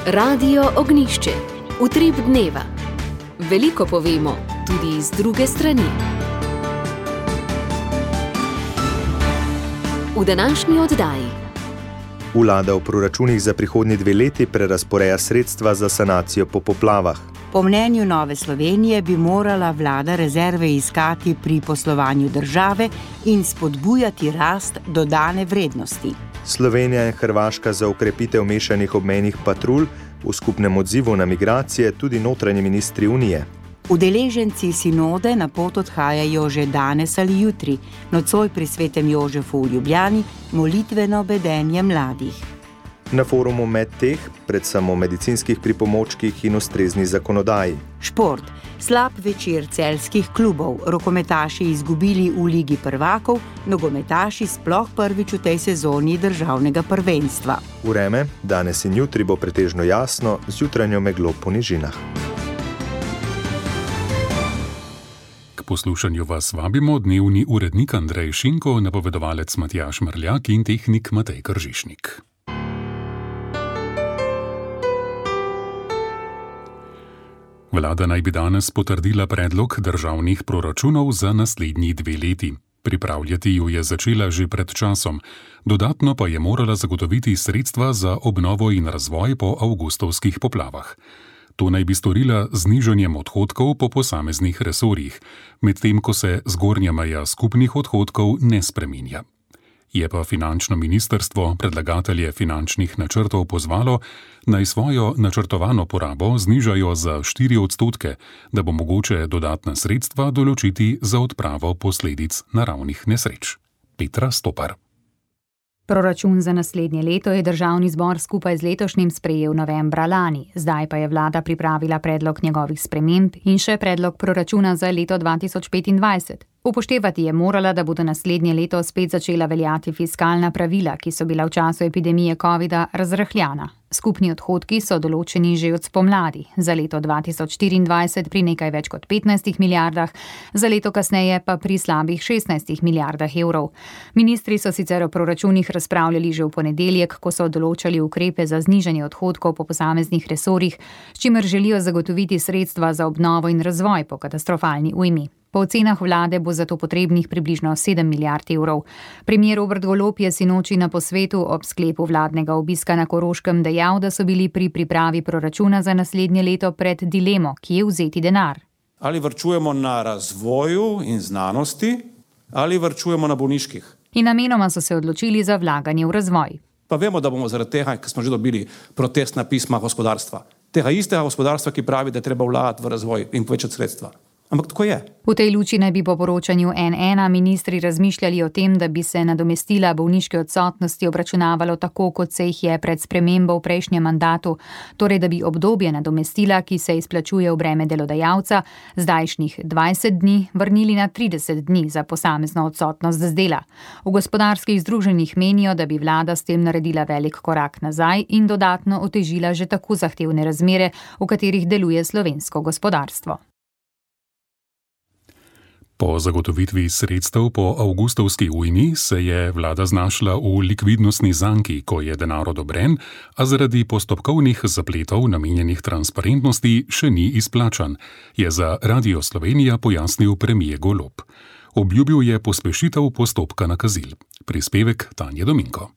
Radio Ognjišče. Utrip dneva. Veliko povemo, tudi iz druge strani. V današnji oddaji. Vlada v proračunih za prihodnji 2 leti prerazporeja sredstva za sanacijo po poplavah. Po mnenju Nove Slovenije bi morala vlada rezerve iskati pri poslovanju države in spodbujati rast dodane vrednosti. Slovenija in Hrvaška za okrepitev mešanih obmejnih patrulj, v skupnem odzivu na migracije tudi notranji ministri Unije. Udeleženci sinode na pot odhajajo že danes ali jutri, nocoj pri Svetem Jožefu v Ljubljani, molitveno bedenje mladih. Na forumu Medteh, predvsem o medicinskih pripomočkih in ustrezni zakonodaji. Šport. Slab večer celjskih klubov, rokometaši izgubili v Ligi prvakov, nogometaši sploh prvič v tej sezoni državnega prvenstva. Vreme, danes in jutri bo pretežno jasno, z jutranjo meglo po nižinah. K poslušanju vas vabimo dnevni urednik Andrej Šinko, napovedovalec Matjaž Mrljak in tehnik Matej Kržišnik. Vlada naj bi danes potrdila predlog državnih proračunov za naslednji 2 leti. Pripravljati ju je začela že pred časom, dodatno pa je morala zagotoviti sredstva za obnovo in razvoj po avgustovskih poplavah. To naj bi storila z znižanjem odhodkov po posameznih resorjih, medtem ko se zgornja meja skupnih odhodkov ne spreminja. Je pa finančno ministrstvo predlagatelje finančnih načrtov pozvalo, naj svojo načrtovano porabo znižajo za 4%, da bo mogoče dodatna sredstva določiti za odpravo posledic naravnih nesreč. Petra Stopar. Proračun za naslednje leto je državni zbor skupaj z letošnjim sprejel novembra lani. Zdaj pa je vlada pripravila predlog njegovih sprememb in še predlog proračuna za leto 2025. Upoštevati je morala, da bodo naslednje leto spet začela veljati fiskalna pravila, ki so bila v času epidemije covida razrahljana. Skupni odhodki so določeni že od spomladi, za leto 2024 pri nekaj več kot 15 milijardah, za leto kasneje pa pri slabih 16 milijardah evrov. Ministri so sicer o proračunih razpravljali že v ponedeljek, ko so določali ukrepe za znižanje odhodkov po posameznih resorjih, s čimer želijo zagotoviti sredstva za obnovo in razvoj po katastrofalni ujmi. Po ocenah vlade bo zato potrebnih približno 7 milijard evrov. Premier Robert Golob je sinoči na posvetu ob sklepu vladnega obiska na Koroškem dejal, da so bili pri pripravi proračuna za naslednje leto pred dilemo, kje vzeti denar. Ali varčujemo na razvoju in znanosti, ali varčujemo na bolniških. In namenoma so se odločili za vlaganje v razvoj. Pa vemo, da bomo zaradi tega, ker smo že dobili protestna pisma gospodarstva. Tega istega gospodarstva, ki pravi, da je treba vlagati v razvoj in povečati sredstva. Ampak tako je. V tej luči naj bi po poročanju N1 ministri razmišljali o tem, da bi se nadomestila bolniške odsotnosti obračunavalo tako, kot se jih je pred spremembo v prejšnjem mandatu, torej da bi obdobje nadomestila, ki se izplačuje v breme delodajalca, zdajšnjih 20 dni vrnili na 30 dni za posamezno odsotnost z dela. V gospodarskih združenjih menijo, da bi vlada s tem naredila velik korak nazaj in dodatno otežila že tako zahtevne razmere, v katerih deluje slovensko gospodarstvo. Po zagotovitvi sredstev po avgustovski ujmi se je vlada znašla v likvidnostni zanki, ko je denar odobren, a zaradi postopkovnih zapletov namenjenih transparentnosti še ni izplačan, je za Radio Slovenija pojasnil premier Golob. Obljubil je pospešitev postopka nakazil. Prispevek Tanje Dominko.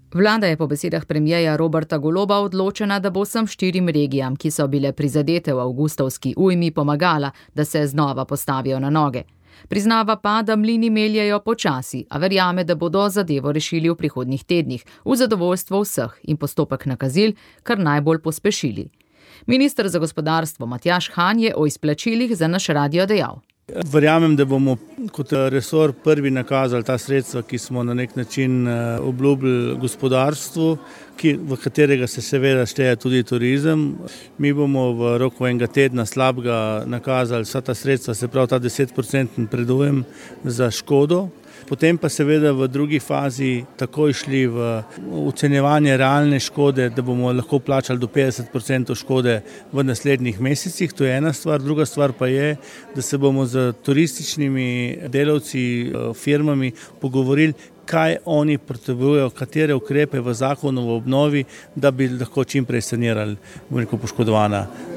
Vlada je po besedah premierja Roberta Goloba odločena, da bo vsem 4 regijam, ki so bile prizadete v avgustovski ujmi, pomagala, da se znova postavijo na noge. Priznava pa, da mlini meljejo počasi, a verjame, da bodo zadevo rešili v prihodnjih tednih, v zadovoljstvo vseh in postopek nakazil kar najbolj pospešili. Minister za gospodarstvo Matjaž Han je o izplačilih za naš radio dejal. Verjamem, da bomo kot resor prvi nakazali ta sredstva, ki smo na nek način obljubili gospodarstvu, v katerega se seveda šteje tudi turizem. Mi bomo v roku enega tedna slabega nakazali vsa ta sredstva, se pravi ta 10% predujem za škodo. Potem pa seveda v drugi fazi takoj šli v ocenjevanje realne škode, da bomo lahko plačali do 50% škode v naslednjih mesecih. To je ena stvar. Druga stvar pa je, da se bomo z turističnimi delavci, firmami pogovorili, kaj oni potrebujejo, katere ukrepe v zakonu o obnovi, da bi lahko čim prej sanirali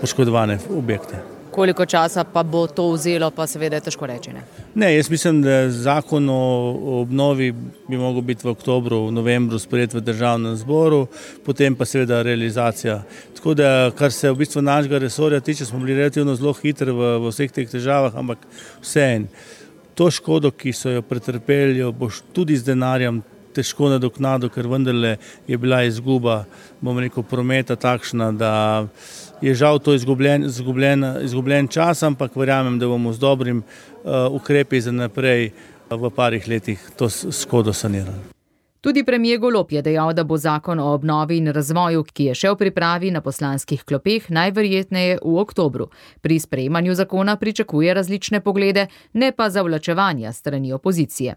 poškodovane objekte. Koliko časa pa bo to vzelo, pa seveda je težko reči, ne? Ne, jaz mislim, da zakon o obnovi bi mogel biti v oktobru, v novembru sprejet v državnem zboru, potem pa seveda realizacija. Tako da, kar se v bistvu našega resorja tiče, smo bili relativno zelo hitri v vseh teh težavah, ampak vseeno. To škodo, ki so jo pretrpeli, boš tudi z denarjem težko nadoknadil, ker vendarle je bila izguba, prometa takšna, da je žal to izgubljen čas, ampak verjamem, da bomo z dobrim ukrepi za naprej v parih letih to škodo sanirali. Tudi premier Golob je dejal, da bo zakon o obnovi in razvoju, ki je še v pripravi na poslanskih klopeh, najverjetneje v oktobru. Pri sprejemanju zakona pričakuje različne poglede, ne pa zavlačevanja strani opozicije.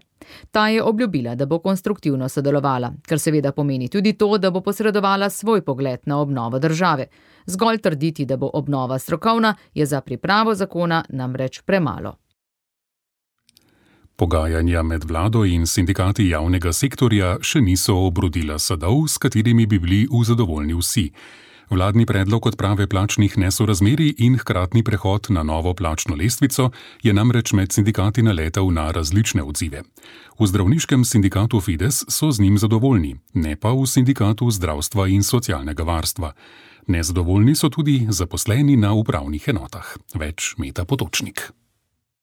Ta je obljubila, da bo konstruktivno sodelovala, kar seveda pomeni tudi to, da bo posredovala svoj pogled na obnovo države. Zgolj trditi, da bo obnova strokovna, je za pripravo zakona namreč premalo. Pogajanja med vlado in sindikati javnega sektorja še niso obrodila sadov, s katerimi bi bili zadovoljni vsi. Vladni predlog odprave plačnih nesorazmerij in hkratni prehod na novo plačno lestvico je namreč med sindikati naletel na različne odzive. V zdravniškem sindikatu Fides so z njim zadovoljni, ne pa v sindikatu zdravstva in socialnega varstva. Nezadovoljni so tudi zaposleni na upravnih enotah. Več Meta Potočnik.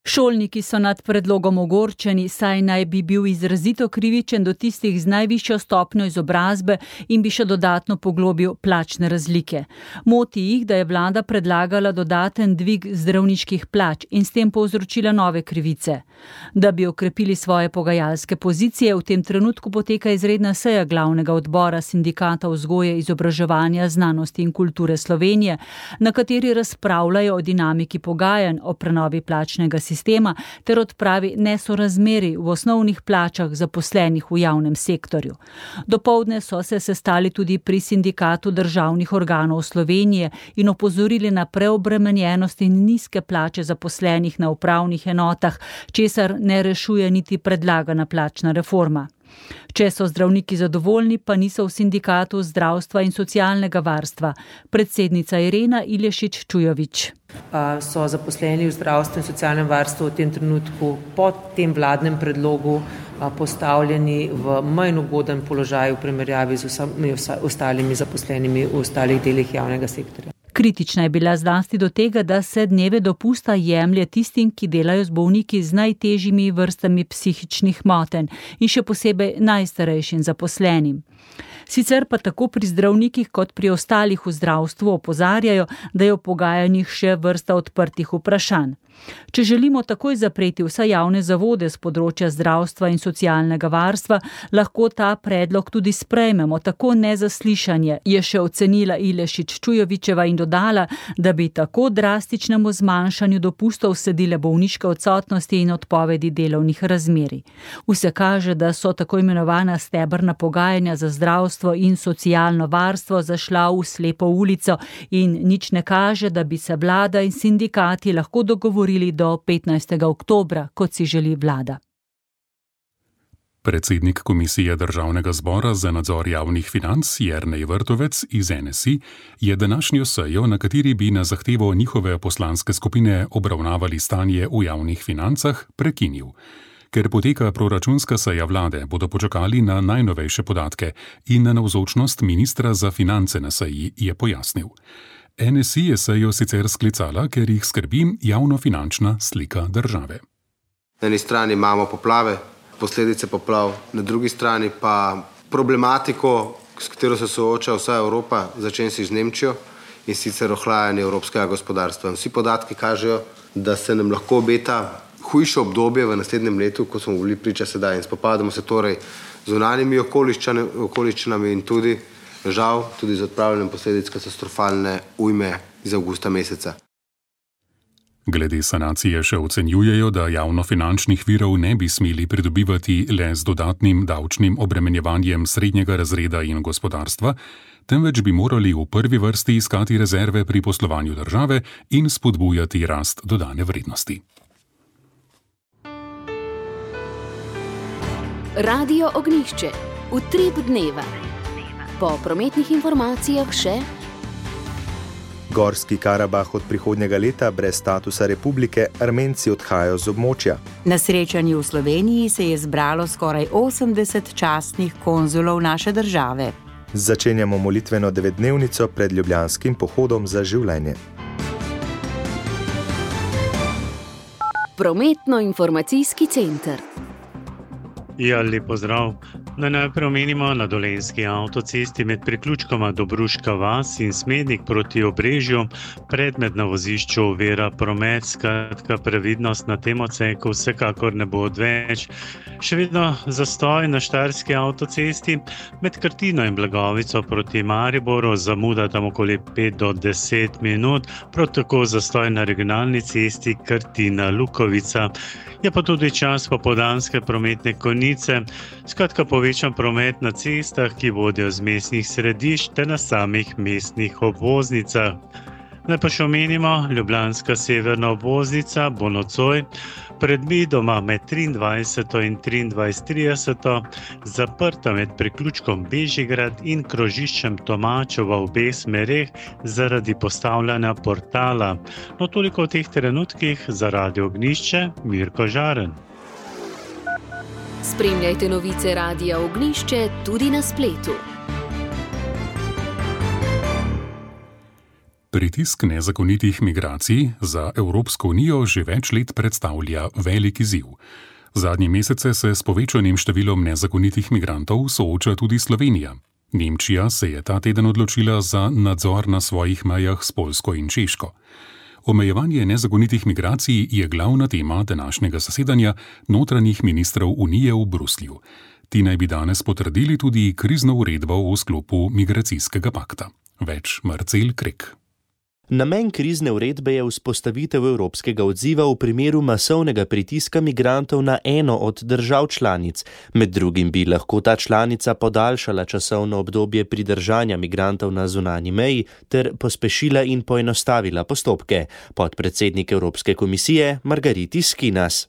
Šolniki so nad predlogom ogorčeni, saj naj bi bil izrazito krivičen do tistih z najvišjo stopnjo izobrazbe in bi še dodatno poglobil plačne razlike. Moti jih, da je vlada predlagala dodaten dvig zdravniških plač in s tem povzročila nove krivice. Da bi okrepili svoje pogajalske pozicije, v tem trenutku poteka izredna seja glavnega odbora sindikata vzgoje, izobraževanja, znanosti in kulture Slovenije, na kateri razpravljajo o dinamiki pogajanj o prenovi plačnega sistema ter odpravi nesorazmerij v osnovnih plačah zaposlenih v javnem sektorju. Dopoldne so se sestali tudi pri sindikatu državnih organov Slovenije in opozorili na preobremenjenost in nizke plače zaposlenih na upravnih enotah, česar ne rešuje niti predlagana plačna reforma. Če so zdravniki zadovoljni, pa niso v sindikatu zdravstva in socialnega varstva. Predsednica Irena Ilešič-Čujovič. So zaposleni v zdravstvu in socialnem varstvu v tem trenutku po tem vladnem predlogu postavljeni v manj ugoden položaj v primerjavi z vsemi ostalimi zaposlenimi v ostalih delih javnega sektorja. Kritična je bila zlasti do tega, da se dneve dopusta jemlje tistim, ki delajo z bolniki z najtežjimi vrstami psihičnih motenj in še posebej najstarejšim zaposlenim. Sicer pa tako pri zdravnikih kot pri ostalih v zdravstvu opozarjajo, da je v pogajanjih še vrsta odprtih vprašanj. Če želimo takoj zapreti vse javne zavode z področja zdravstva in socialnega varstva, lahko ta predlog tudi sprejmemo, tako nezaslišanje, je še ocenila Ilešič-Čujovičeva in dodala, da bi tako drastičnemu zmanjšanju dopustov sledile bolniške odsotnosti in odpovedi delovnih razmerij. Vse kaže, da so tako imenovana stebrna pogajanja za zdravstvo in socialno varstvo zašla v slepo ulico in nič ne kaže, da bi se vlada in sindikati lahko dogovorili do 15. oktobra, kot si želi vlada. Predsednik Komisije Državnega zbora za nadzor javnih financ Jernej Vrtovec iz NSI je današnjo sejo, na kateri bi na zahtevo njihove poslanske skupine obravnavali stanje v javnih financah, prekinil. Ker poteka proračunska seja vlade, bodo počakali na najnovejše podatke in na navzočnost ministra za finance na seji, je pojasnil. NSI je sejo sicer sklicala, ker jih skrbi javnofinančna slika države. Na eni strani imamo poplave, posledice poplav, na drugi strani pa problematiko, s katero se sooča vsa Evropa, začenši z Nemčijo, in sicer ohlajanje evropskega gospodarstva. Vsi podatki kažejo, da se nam lahko obeta hujše obdobje v naslednjem letu, kot smo bili priča sedaj. In spopadamo se torej z zunanjimi okoliščinami in tudi žal tudi z odpravljanjem posledic katastrofalne ujme iz avgusta meseca. Glede sanacije še ocenjujejo, da javnofinančnih virov ne bi smeli pridobivati le z dodatnim davčnim obremenjevanjem srednjega razreda in gospodarstva, temveč bi morali v prvi vrsti iskati rezerve pri poslovanju države in spodbujati rast dodane vrednosti. Radio Ognjišče. Utrip dneva. Po prometnih informacijah še Gorski Karabah od prihodnjega leta brez statusa republike, Armenci odhajajo z območja. Na srečanju v Sloveniji se je zbralo skoraj 80 častnih konzulov naše države. Začenjamo molitveno 9-dnevnico pred ljubljanskim pohodom za življenje. Prometno-informacijski center. Ja, lep pozdrav. Najprej omenimo na Dolenjski avtocesti med priključkoma Dobruška vas in Smednik proti Obrežju predmet na vozišču ovira promet, skratka previdnost na tem odseku vsekakor ne bo odveč. Še vedno zastoj na Štajerski avtocesti med Krtino in Blagovico proti Mariboru, zamuda tam okoli 5 do 10 minut, prav tako zastoj na regionalni cesti Krtina-Lukovica. Je pa tudi čas popoldanske prometne konice, skratka povečan promet na cestah, ki vodijo z mestnih središč ter na samih mestnih obvoznicah. Naj pa še omenimo, ljubljanska severna obvoznica bo nocoj predvidoma med 23. in 23:30 zaprta med priključkom Bežigrad in krožiščem Tomačev v obeh smereh zaradi postavljanja portala. No, toliko v teh trenutkih za Radio Ognjišče, Mirko Žaren. Spremljajte novice Radia Ognjišče tudi na spletu. Pritisk nezakonitih migracij za Evropsko unijo že več let predstavlja velik izziv. Zadnje mesece se s povečanim številom nezakonitih migrantov sooča tudi Slovenija. Nemčija se je ta teden odločila za nadzor na svojih mejah s Poljsko in Češko. Omejevanje nezakonitih migracij je glavna tema današnjega zasedanja notranjih ministrov Unije v Bruslju. Ti naj bi danes potrdili tudi krizno uredbo v sklopu migracijskega pakta. Več Marcel Krek. Namen krizne uredbe je vzpostavitev evropskega odziva v primeru masovnega pritiska migrantov na eno od držav članic. Med drugim bi lahko ta članica podaljšala časovno obdobje pridržanja migrantov na zunanji meji ter pospešila in poenostavila postopke. Podpredsednik Evropske komisije Margaritis Skinas.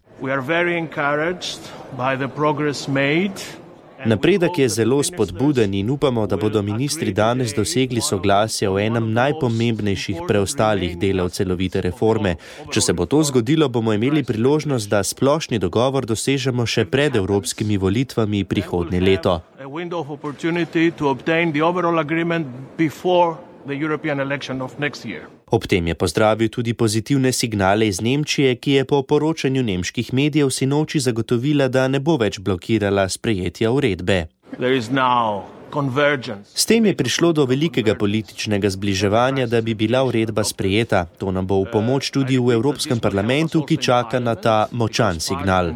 Napredek je zelo spodbuden in upamo, da bodo ministri danes dosegli soglasje o enem najpomembnejših preostalih delov celovite reforme. Če se bo to zgodilo, bomo imeli priložnost, da splošni dogovor dosežemo še pred evropskimi volitvami prihodnje leto. Ob tem je pozdravil tudi pozitivne signale iz Nemčije, ki je po poročanju nemških medijev sinoči zagotovila, da ne bo več blokirala sprejetja uredbe. S tem je prišlo do velikega političnega zbliževanja, da bi bila uredba sprejeta. To nam bo v pomoč tudi v Evropskem parlamentu, ki čaka na ta močan signal.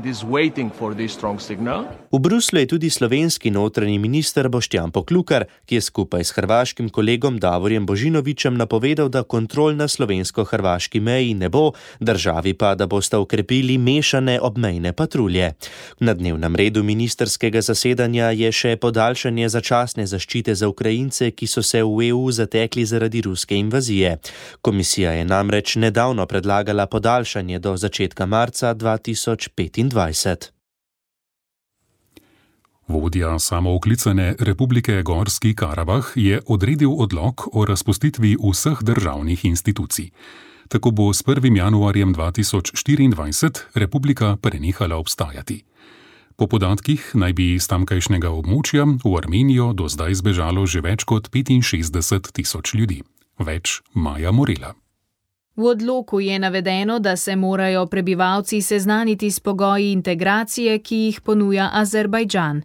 V Bruslju je tudi slovenski notranji minister Boštjan Poklukar, ki je skupaj s hrvaškim kolegom Davorjem Božinovićem napovedal, da kontrol na slovensko-hrvaški meji ne bo, državi pa, da bosta ukrepili mešane obmejne patrulje. Na dnevnem redu ministerskega zasedanja je še podaljšanje zaščite za Ukrajince, ki so se v EU zatekli zaradi ruske invazije. Komisija je namreč nedavno predlagala podaljšanje do začetka marca 2025. Vodja samooklicane Republike Gorski Karabah je odredil odlok o razpustitvi vseh državnih institucij. Tako bo s 1. januarjem 2024 republika prenehala obstajati. Po podatkih naj bi iz tamkajšnjega območja v Armenijo do zdaj zbežalo že več kot 65.000 ljudi. Več Maja Morela. V odloku je navedeno, da se morajo prebivalci seznaniti s pogoji integracije, ki jih ponuja Azerbajdžan.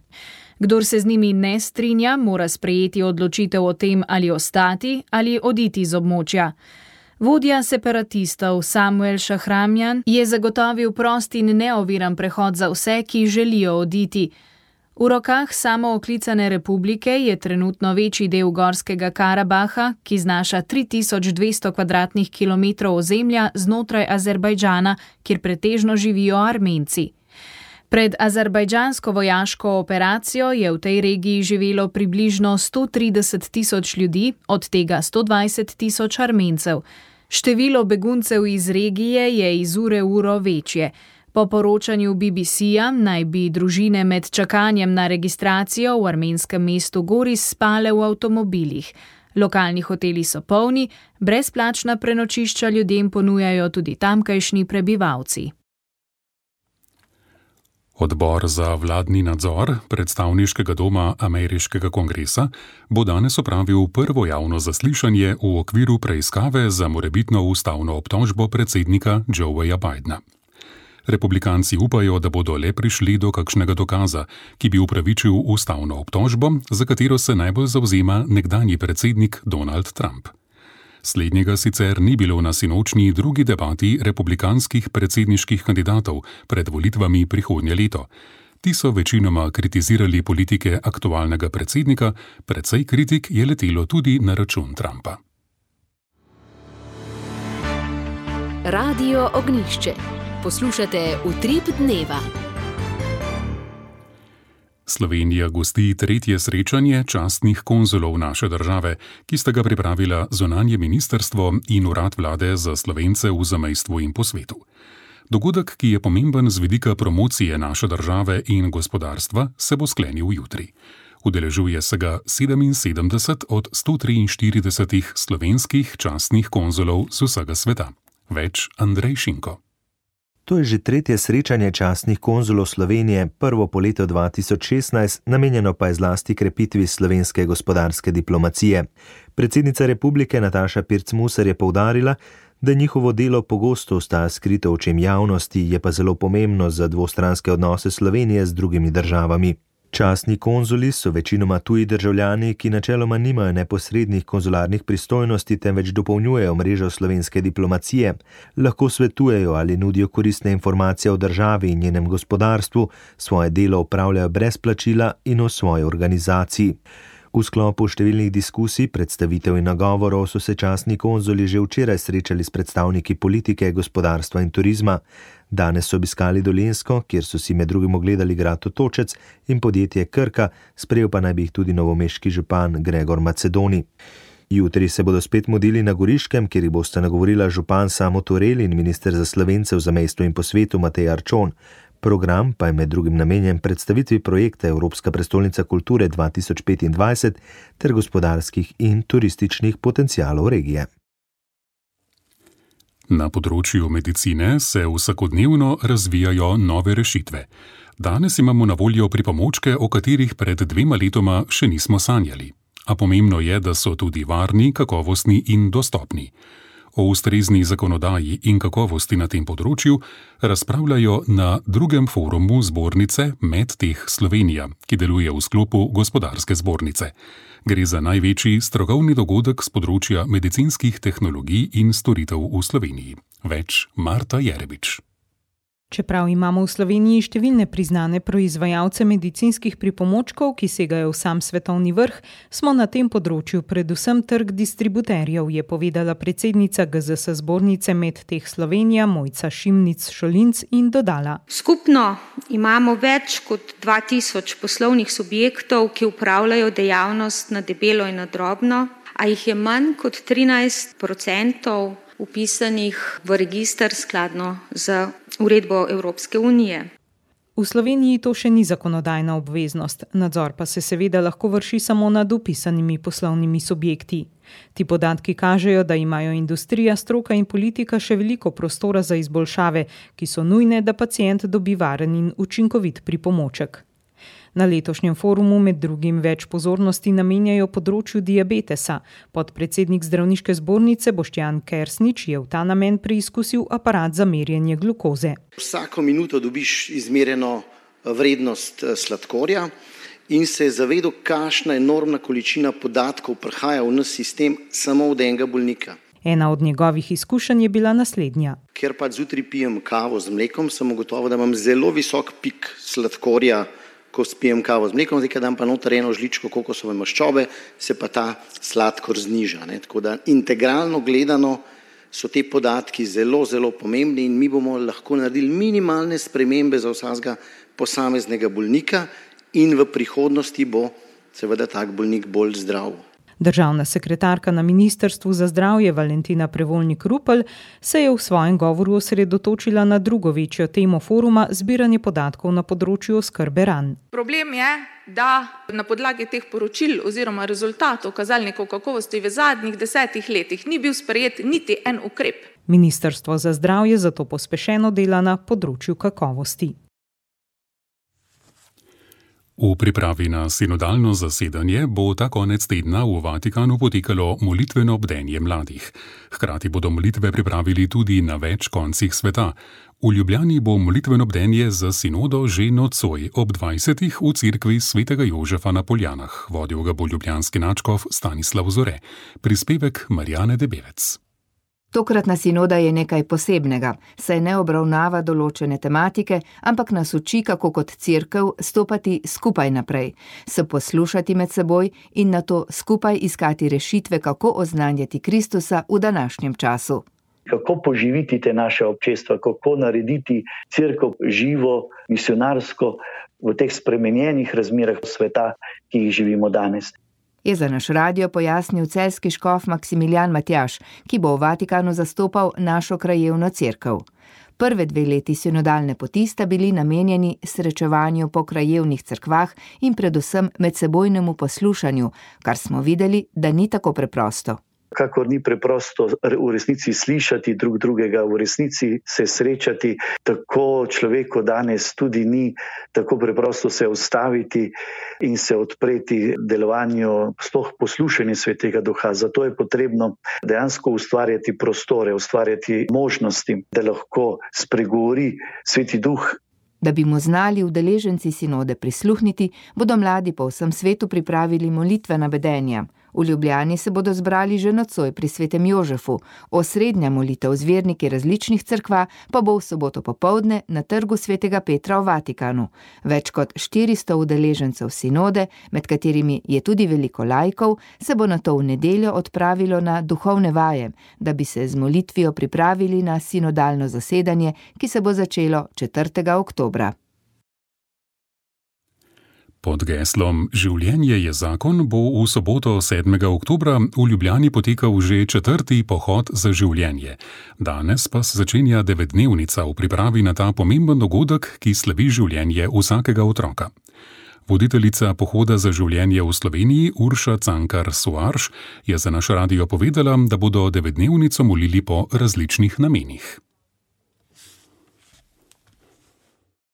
Kdor se z njimi ne strinja, mora sprejeti odločitev o tem, ali ostati ali oditi z območja. Vodja separatistov Samuel Šahramjan je zagotovil prost in neoviran prehod za vse, ki želijo oditi. V rokah samooklicane republike je trenutno večji del Gorskega Karabaha, ki znaša 3200 kvadratnih kilometrov ozemlja znotraj Azerbajdžana, kjer pretežno živijo Armenci. Pred azerbajdžansko vojaško operacijo je v tej regiji živelo približno 130 tisoč ljudi, od tega 120 tisoč Armencev. Število beguncev iz regije je iz ure v uro večje. Po poročanju BBC-ja naj bi družine med čakanjem na registracijo v armenskem mestu Goris spale v avtomobilih. Lokalni hoteli so polni, brezplačna prenočišča ljudem ponujajo tudi tamkajšnji prebivalci. Odbor za vladni nadzor predstavniškega doma ameriškega kongresa bo danes opravil prvo javno zaslišanje v okviru preiskave za morebitno ustavno obtožbo predsednika Joeja Bidena. Republikanci upajo, da bodo le prišli do kakšnega dokaza, ki bi upravičil ustavno obtožbo, za katero se najbolj zavzema nekdanji predsednik Donald Trump. Slednjega sicer ni bilo na sinočnji drugi debati republikanskih predsedniških kandidatov pred volitvami prihodnje leto. Ti so večinoma kritizirali politike aktualnega predsednika, precej kritik je letelo tudi na račun Trumpa. Radio Ognjišče. Poslušate Utrip dneva. Slovenija gosti tretje srečanje častnih konzulov naše države, ki sta ga pripravila zunanje ministrstvo in urad vlade za Slovence v zamejstvu in po svetu. Dogodek, ki je pomemben z vidika promocije naše države in gospodarstva, se bo sklenil jutri. Udeležuje se ga 77 od 143 slovenskih častnih konzulov z vsega sveta. Več Andrej Šinko. To je že tretje srečanje častnih konzulov Slovenije, prvo po letu 2016, namenjeno pa je zlasti krepitvi slovenske gospodarske diplomacije. Predsednica republike Nataša Pirc-Musar je poudarila, da njihovo delo pogosto ostaja skrito v očem javnosti, je pa zelo pomembno za dvostranske odnose Slovenije z drugimi državami. Častni konzuli so večinoma tuji državljani, ki načeloma nimajo neposrednih konzularnih pristojnosti, temveč dopolnjujejo mrežo slovenske diplomacije, lahko svetujejo ali nudijo koristne informacije o državi in njenem gospodarstvu, svoje delo opravljajo brez plačila in v svoji organizaciji. V sklopu številnih diskusij, predstavitev in nagovorov so se častni konzuli že včeraj srečali s predstavniki politike, gospodarstva in turizma. Danes so obiskali Dolenjsko, kjer so si med drugim ogledali grad Otočec in podjetje Krka, sprejel pa naj bi jih tudi novomeški župan Gregor Macedoni. Jutri se bodo spet mudili na Goriškem, kjer jih bosta nagovorila župan Samo Turel in minister za Slovence v zamejstvu in po svetu Matej Arčon. Program pa je med drugim namenjen predstavitvi projekta Evropska prestolnica kulture 2025 ter gospodarskih in turističnih potencialov regije. Na področju medicine se vsakodnevno razvijajo nove rešitve. Danes imamo na voljo pripomočke, o katerih pred 2 letoma še nismo sanjali. A pomembno je, da so tudi varni, kakovostni in dostopni. O ustrezni zakonodaji in kakovosti na tem področju razpravljajo na drugem forumu zbornice MedTech Slovenija, ki deluje v sklopu gospodarske zbornice. Gre za največji strokovni dogodek z področja medicinskih tehnologij in storitev v Sloveniji. Več Marta Jerebič. Čeprav imamo v Sloveniji številne priznane proizvajalce medicinskih pripomočkov, ki segajo v sam svetovni vrh, smo na tem področju predvsem trg distributerjev, je povedala predsednica GZS zbornice MedTech Slovenija Mojca Šimnic-Šolinc in dodala. Skupno imamo več kot 2000 poslovnih subjektov, ki upravljajo dejavnost na debelo in na drobno, a jih je manj kot 13% upisanih v register skladno z uredbo Evropske unije. V Sloveniji to še ni zakonodajna obveznost, nadzor pa se seveda lahko vrši samo nad upisanimi poslovnimi subjekti. Ti podatki kažejo, da imajo industrija, stroka in politika še veliko prostora za izboljšave, ki so nujne, da pacient dobi varen in učinkovit pripomoček. Na letošnjem forumu med drugim več pozornosti namenjajo področju diabetesa. Podpredsednik zdravniške zbornice Boštjan Kersnič je v ta namen preizkusil aparat za merjenje glukoze. Vsako minuto dobiš izmerjeno vrednost sladkorja in se je zavedel, kakšna enormna količina podatkov prihaja v naš sistem samo od enega bolnika. Ena od njegovih izkušenj je bila naslednja. Ker pa zjutraj pijem kavo z mlekom, sem ugotovil, da imam zelo visok pik sladkorja ko spijem kavo z mlekom, zdaj dam pa noter eno žličko kokosove maščobe, se pa ta sladkor zniža. Tako da integralno gledano so te podatki zelo, zelo pomembni in mi bomo lahko naredili minimalne spremembe za vsakega posameznega bolnika in v prihodnosti bo seveda tak bolnik bolj zdrav. Državna sekretarka na Ministrstvu za zdravje Valentina Prevolnik-Rupel se je v svojem govoru osredotočila na drugo večjo temo foruma zbiranje podatkov na področju oskrbe ran. Problem je, da na podlagi teh poročil oziroma rezultatov kazalnikov kakovosti v zadnjih 10 letih ni bil sprejet niti en ukrep. Ministrstvo za zdravje zato pospešeno dela na področju kakovosti. V pripravi na sinodalno zasedanje bo ta konec tedna v Vatikanu potekalo molitveno bdenje mladih. Hkrati bodo molitve pripravili tudi na več koncih sveta. V Ljubljani bo molitveno bdenje za sinodo že nocoj ob 20. v cerkvi svetega Jožefa na Poljanah. Vodil ga bo ljubljanski nadškof Stanislav Zore. Prispevek Marjane Debevec. Tokratna sinoda je nekaj posebnega, saj ne obravnava določene tematike, ampak nas uči, kako kot cerkev stopati skupaj naprej, se poslušati med seboj in nato skupaj iskati rešitve, kako oznanjati Kristusa v današnjem času. Kako poživiti te naše občestva, kako narediti cerkev živo, misionarsko v teh spremenjenih razmerah sveta, ki jih živimo danes. Je za naš radio pojasnil celjski škof Maksimilijan Matjaž, ki bo v Vatikanu zastopal našo krajevno cerkev. Prve 2 leti sinodalne poti sta bili namenjeni srečevanju po krajevnih cerkvah in predvsem medsebojnemu poslušanju, kar smo videli, da ni tako preprosto. Kakor ni preprosto v resnici slišati drug drugega, v resnici se srečati, tako človeku danes tudi ni tako preprosto se ustaviti in se odpreti delovanju, sploh poslušanju Svetega Duha. Zato je potrebno dejansko ustvarjati prostore, ustvarjati možnosti, da lahko spregovori Sveti Duh. Da bi mu znali udeleženci sinode prisluhniti, bodo mladi po vsem svetu pripravili molitvena bedenja. V Ljubljani se bodo zbrali že nocoj pri svetem Jožefu, osrednja molitev z verniki različnih cerkva pa bo v soboto popoldne na trgu svetega Petra v Vatikanu. Več kot 400 udeležencev sinode, med katerimi je tudi veliko laikov, se bo nato v nedeljo odpravilo na duhovne vaje, da bi se z molitvijo pripravili na sinodalno zasedanje, ki se bo začelo 4. oktobra. Pod geslom Življenje je zakon bo v soboto 7. oktobra v Ljubljani potekal že 4. pohod za življenje. Danes pa se začenja 9-dnevnica v pripravi na ta pomemben dogodek, ki slavi življenje vsakega otroka. Voditeljica pohoda za življenje v Sloveniji Urša Cankar-Suarš je za naš radio povedala, da bodo 9-dnevnico molili po različnih namenih.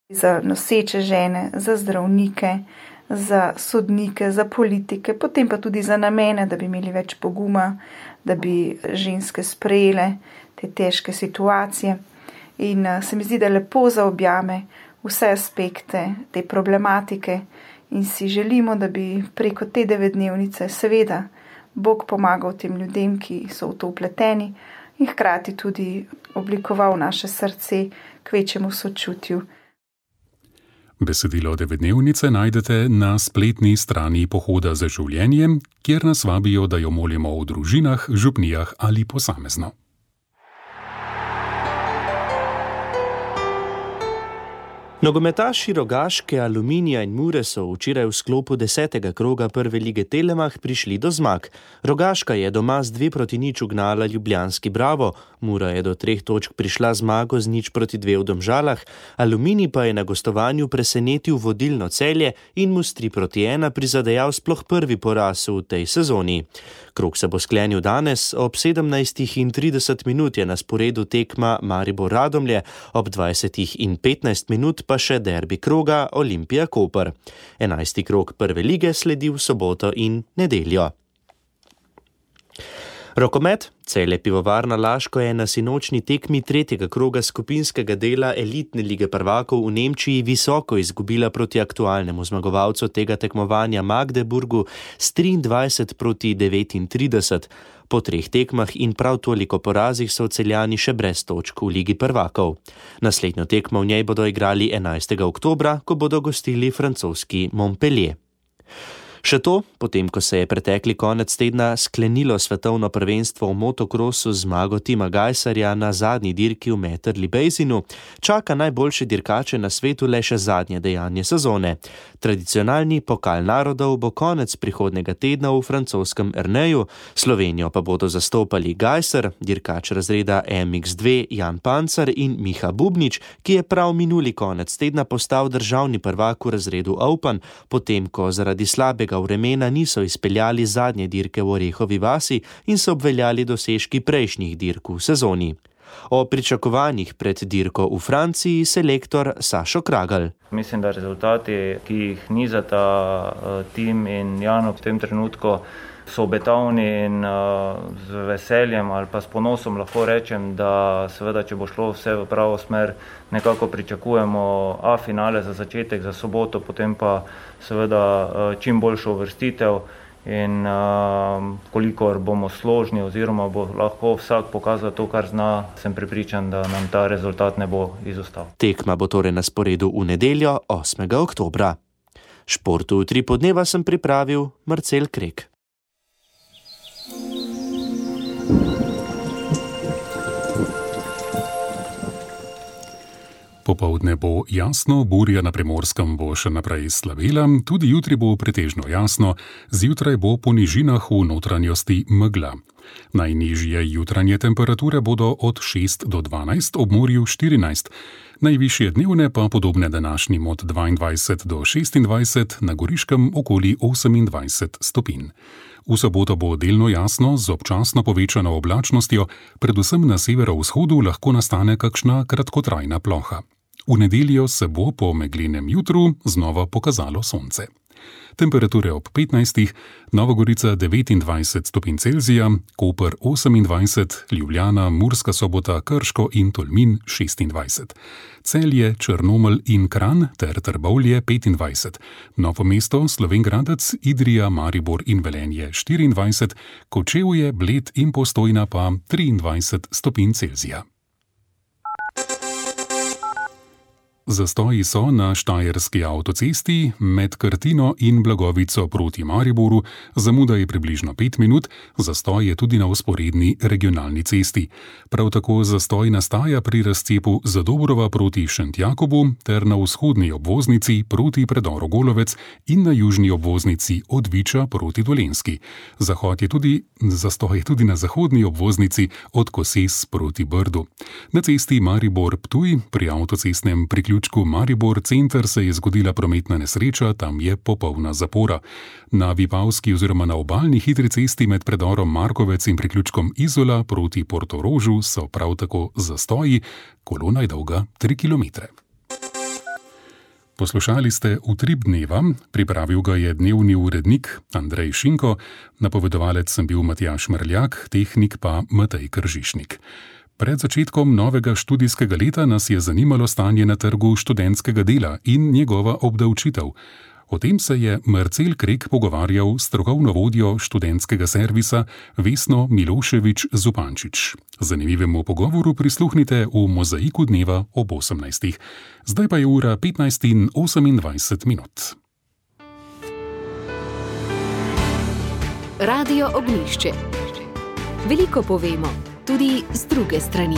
Za noseče žene, za zdravnike, za sodnike, za politike, potem pa tudi za namene, da bi imeli več poguma, da bi ženske sprejele te težke situacije. In se mi zdi, da lepo zaobjame vse aspekte te problematike in si želimo, da bi preko te 9-dnevnice seveda Bog pomagal tem ljudem, ki so v to vpleteni in hkrati tudi oblikoval naše srce k večjemu sočutju. Besedilo 9-dnevnice najdete na spletni strani Pohoda za življenje, kjer nas vabijo, da jo molimo v družinah, župnijah ali posamezno. Nogometaši Rogaške, Aluminija in Mure so včeraj v sklopu 10. kroga prve lige Telemach prišli do zmag. Rogaška je doma z 2-0 ugnala ljubljanski Bravo, Mura je do 3 točk prišla zmago z 0-2 v Domžalah, Aluminij pa je na gostovanju presenetil vodilno Celje in mu s 3-1 prizadejal sploh prvi poraz v tej sezoni. Krog se bo sklenil danes, ob 17:30 je na sporedu tekma Maribor-Radomlje, ob 20:15 pa še derbi kroga Olimpija-Koper. 11. krog prve lige sledi v soboto in nedeljo. Rokomet. Celje Pivovarna Laško je na sinočni tekmi tretjega kroga skupinskega dela elitne lige prvakov v Nemčiji visoko izgubila proti aktualnemu zmagovalcu tega tekmovanja Magdeburgu s 23-39. Po 3 tekmah in prav toliko porazih so Celjani še brez točk v ligi prvakov. Naslednjo tekmo v njej bodo igrali 11. oktobra, ko bodo gostili francoski Montpellier. Še to, potem ko se je pretekli konec tedna sklenilo svetovno prvenstvo v motokrosu z zmago Tima Gajserja na zadnji dirki v Metterli Basinu, čaka najboljše dirkače na svetu le še zadnje dejanje sezone. Tradicionalni pokal narodov bo konec prihodnega tedna v francoskem Erneju, Slovenijo pa bodo zastopali Gajser, dirkač razreda MX2 Jan Pancar in Miha Bubnič, ki je prav minuli konec tedna postal državni prvak v razredu Open, potem ko zaradi slabega vremena niso izpeljali zadnje dirke v Orehovi vasi in so obveljali dosežki prejšnjih dirk v sezoni. O pričakovanjih pred dirko v Franciji selektor Sašo Kragelj. Mislim, da rezultati, ki jih nizata Tim in Jan v tem trenutku, so obetavni in z veseljem ali pa s ponosom lahko rečem, da seveda, če bo šlo vse v pravo smer, nekako pričakujemo A finale za začetek, za soboto, potem pa seveda čim boljšo uvrstitev in kolikor bomo složni oziroma bo lahko vsak pokazal to, kar zna, sem prepričan, da nam ta rezultat ne bo izostal. Tekma bo torej na sporedu v nedeljo 8. oktobra. Športu v 3 podneva sem pripravil Marcel Krek. Popoldne bo jasno, burja na Primorskem bo še naprej slavela, tudi jutri bo pretežno jasno, zjutraj bo po nižinah v notranjosti megla. Najnižje jutranje temperature bodo od 6 do 12, ob morju 14. Najvišje dnevne pa podobne današnjim od 22 do 26, na Goriškem okoli 28 stopinj. V soboto bo delno jasno z občasno povečano oblačnostjo, predvsem na severovzhodu lahko nastane kakšna kratkotrajna ploha. V nedeljo se bo po meglenem jutru znova pokazalo sonce. Temperature ob 15, Nova Gorica 29 stopinj Celzija, Koper 28, Ljubljana, Murska Sobota, Krško in Tolmin 26. Celje, Črnomelj in Kranj ter Trbovlje 25, Novo mesto, Slovenj Gradec, Idrija, Maribor in Velenje 24, Kočevje, Bled in Postojna pa 23 stopinj Celzija. Zastoji so na Štajerski avtocesti med Krtino in Blagovico proti Mariboru, zamuda je približno 5 minut, zastoj je tudi na vzporedni regionalni cesti. Prav tako zastoj nastaja pri razcepu Zadobrova proti Šentjakobu ter na vzhodni obvoznici proti predoru Golovec in na južni obvoznici od Viča proti Dolenjski. Zastoj je tudi na zahodni obvoznici od Koses proti Brdu. Na cesti Maribor-Ptuj pri avtocestnem priključku Maribor center se je zgodila prometna nesreča, tam je popolna zapora. Na Vipavski oziroma na obalni hitri cesti med predorom Markovec in priključkom Izola proti Portorožu so prav tako zastoji, kolona je dolga 3 km. Poslušali ste Utrip dneva, pripravil ga je dnevni urednik Andrej Šinko, napovedovalec sem bil Matjaž Mrljak, tehnik pa Matej Kržišnik. Pred začetkom novega študijskega leta nas je zanimalo stanje na trgu študentskega dela in njegova obdavčitev. O tem se je Marcel Krek pogovarjal s strokovno vodjo študentskega servisa Vesno Milošević-Zupančič. Zanimivemu pogovoru prisluhnite v Mozaiku dneva ob 18. Zdaj pa je ura 15:28 minut. Radio Ognjišče. Veliko povemo, tudi z druge strani.